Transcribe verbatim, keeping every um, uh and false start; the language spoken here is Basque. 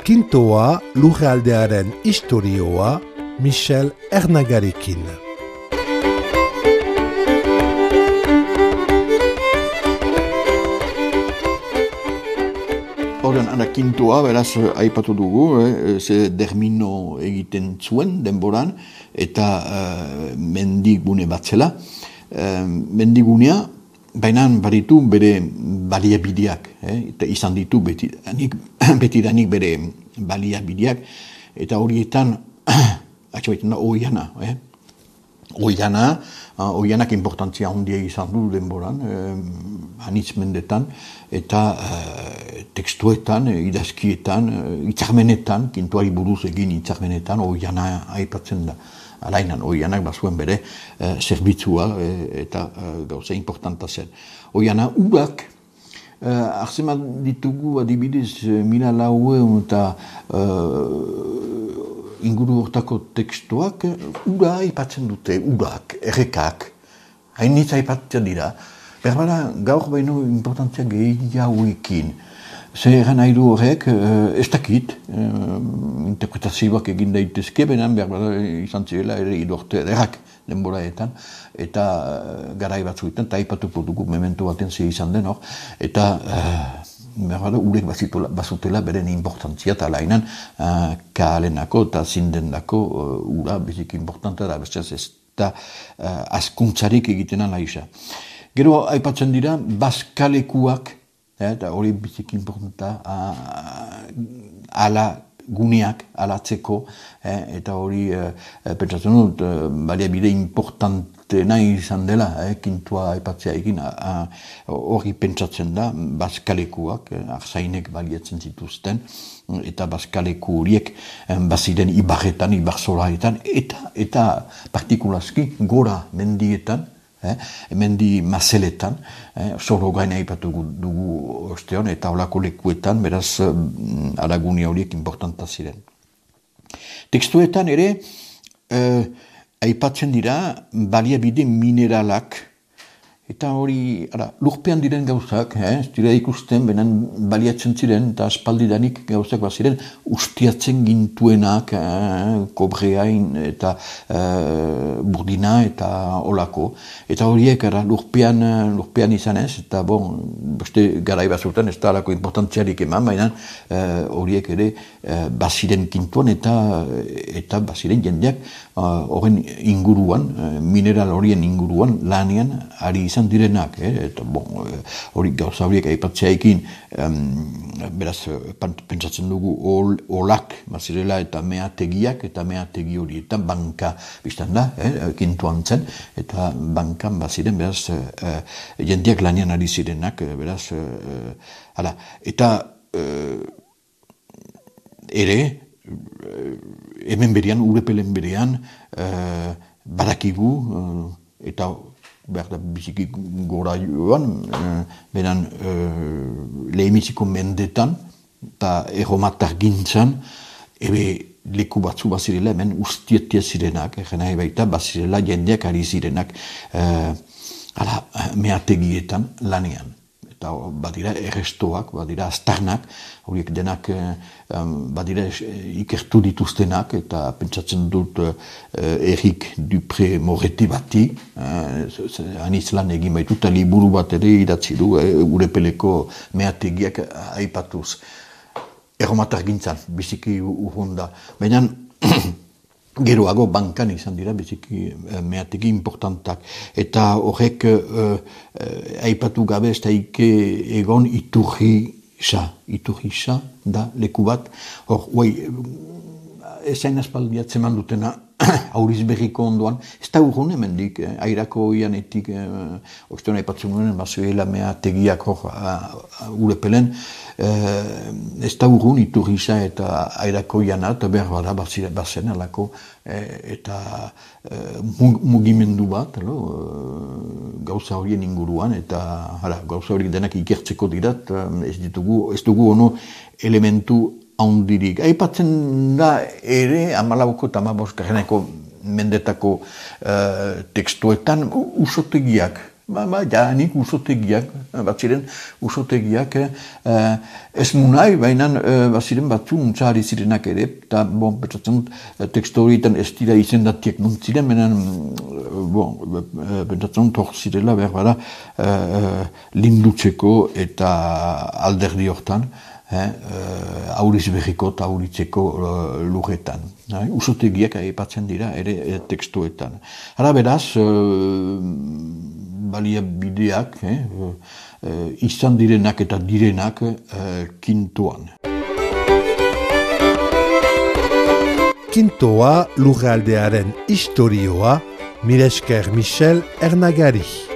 Kintoa lurraldearen istorioa Michel Ernagarekin. Horren, ana Kintoa, beraz, aipatu dugu, eh, ze dermino egiten zuen denboran, eta uh, mendigune bat zela. Uh, mendigunea, baina baditu bere baliabideak, eh, eta izan ditu betidanik, betidanik bere baliabideak, eta horietan, atxabaiten da, oiana, eh? Oiana, uh, oianak importantzia handia izan du denboran, eh, anitz mendetan, eta uh, tekstuetan, idazkietan, uh, itzarmenetan, kintuari buruz egin itzarmenetan, oiana aipatzen da. Alainan, oianak bazuen bere uh, zerbitzua eh, eta uh, gauza importanta zen. Oiana, urak, uh, arzemat ditugu adibidez mila lauen eta uh, inguru hortako tekstuak, ura aipatzen dute, urak, errekak, hainitz aipatzen dira. Berbara, gaur baino importantzia gehiagoekin. Zer egan nahi du horrek, ez dakit, interpretazioak egin daitezke, benen berbara izan zirela ere idorte ederrak denboraetan, eta garai batzuetan, eta aipatuko dugu memento baten ze izan den hor, eta berbara urek bazutela beren importantzia, eta lainan kaalenako eta zindendako ura bezik importanta da, bestaz ez da askuntzarik egiten alaisa. Gero aipatzen dira, bazkalekuak, eta hori bizik importanta ala guneak alatzeko, eh, eta hori eh, pentsatzen dut eh, baliabide importantena izan dela, eh, kintua aipatzea egin, hori pentsatzen da, bazkalekuak, eh, arzainek baliatzen zituzten, eta bazkaleku horiek eh, baziren ibarretan, ibarzolaetan, eta, eta partikulazki gora mendietan, Eh, mendi mazeletan, eh, zoro gaina aipatu dugu ostean, eta olako lekuetan, beraz, eh, alagunia horiek importanta ziren. Tekstuetan ere, eh, aipatzen dira baliabide mineralak, eta hori, ara, lurpean diren gauzak, eh, ez dira ikusten, benen baliatzen ziren, eta aspaldidanik gauzak baziren, ustiatzen gintuenak, eh, kobreain, eta eh, burdina, eta olako. Eta horiek, ara, lurpean, lurpean izan ez, eta bon, beste garai bazuten, ez da alako importantziarik eman, baina eh, horiek ere eh, baziren kintuan, eta, eta baziren jendeak horren eh, inguruan, eh, mineral horien inguruan, lanean, ari izan direnak, eh? Eta bon, hori gauza horiek aipatzeaekin, um, beraz, pentsatzen dugu ol, olak, bazirela, eta meategiak, eta meategi horietan banka biztan da, eh? Kintuan zen, eta bankan baziren, beraz, uh, jendeak lanean ari zirenak, beraz, uh, hala, eta uh, ere, uh, hemen berean, urepelen berean, uh, badakigu, uh, eta behar da biziki gora joan, eh, beran eh, lehemiziko mendetan, eta erromatar gintzan, ebe leku batzu bazirela, hemen ustietia zirenak, egin nahi baita, bazirela jendeak ari zirenak, eh, ala, meategietan lanean. Eta badira errestoak, badira aztarnak, horiek denak um, badira ikertu dituztenak, eta pentsatzen dut uh, Erik Dupré Moretti bati, uh, anitz lan egin baitu, eta liburu bat ere idatzi du, uh, urepeleko meategiak aipatuz. Erromatar gintzan, biziki urrunda. Baina, geroago bankan izan dira biziki meategi importantak. Eta horrek uh, uh, aipatu gabe ez daike egon iturri sa. Iturri sa da leku bat. Hor, oi, ezain aspaldiatzen man dutena auriz berriko ondoan. Ez da urrun hemendik, eh, airako ianetik, eh, ostean aipatzen nuen, bazuela meategiak hor uh, urepelen, eh, ez da urrun iturrisa eta airako iana, eta behar bada bazen alako, eh, eta eh, mugimendu bat, alo, eh, gauza horien inguruan, eta hala, gauza horiek denak ikertzeko dirat, ez ditugu, ez dugu ono elementu handirik. Aipatzen da ere, amalauko eta amaboskarreneko mendetako uh, tekstuetan usotegiak Ba, ba, jaanik usotegiak, bat ziren usotegiak, eh, ez munai, baina eh, bat ziren batzu untzahari zirenak ere, eta, bon, pentsatzen, teksto horietan ez dira izendatiek nuntziren, baina, bon, pentsatzen, hor zirela, behar bada, eh, lindutzeko eta alderdi hortan, Eh, uh, auriz berriko eta auritzeko uh, lurretan. Eh, usotegiak aipatzen dira ere e, tekstuetan. Hara beraz, uh, balia bideak, eh, uh, izan direnak eta direnak uh, kintoan. Kintoa lurraldearen historioa, mila esker Michel Ernagari.